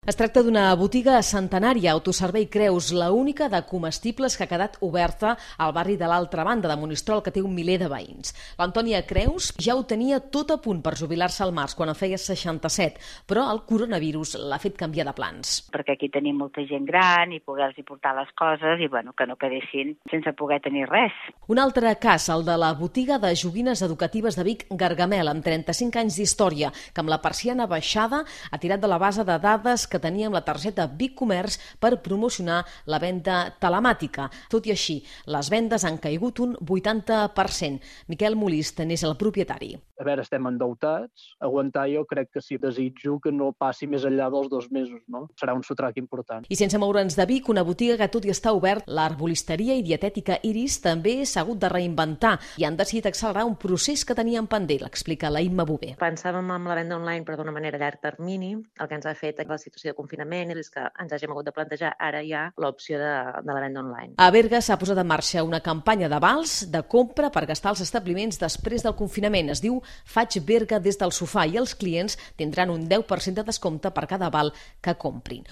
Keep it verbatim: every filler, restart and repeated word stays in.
Es tracta d'una botiga centenària, Autoservei Creus, la única de comestibles que ha quedat oberta al barri de l'altra banda de Monistrol, que té un miler de veïns. L'Antònia Creus ja ho tenia tot a punt per jubilar-se al març, quan en feia seixanta-set, però el coronavirus l'ha fet canviar de plans. Perquè aquí tenim molta gent gran i poder-los portar les coses i bueno, que no quedessin sense poder tenir res. Un altre cas, el de la botiga de joguines educatives de Vic, Gargamel, amb trenta-cinc anys d'història, que amb la persiana baixada ha tirat de la base de dades que que tenia amb la targeta Vic Comerç per promocionar la venda telemàtica. Tot i així, les vendes han caigut un vuitanta per cent. Miquel Molist n'és el propietari. A veure, estem endeutats. Aguantar jo crec que sí, desitjo que no passi més enllà dels dos mesos, no? Serà un sotrac important. I sense moure'ns de Vic, una botiga que tot i està obert, l'arbolisteria i dietètica Iris també s'ha hagut de reinventar i han decidit accelerar un procés que tenien pendent, l'explica la Imma Bové. Pensàvem en la venda online però d'una manera a llarg termini, el que ens ha fet la situació de confinament és que ens hàgim hagut de plantejar ara ja l'opció de, de la venda online. A Berga s'ha posat en marxa una campanya de vals de compra per gastar als establiments després del confinament. Es diu Faig Berga des del sofà i els clients tindran un deu per cent de descompte per cada val que comprin.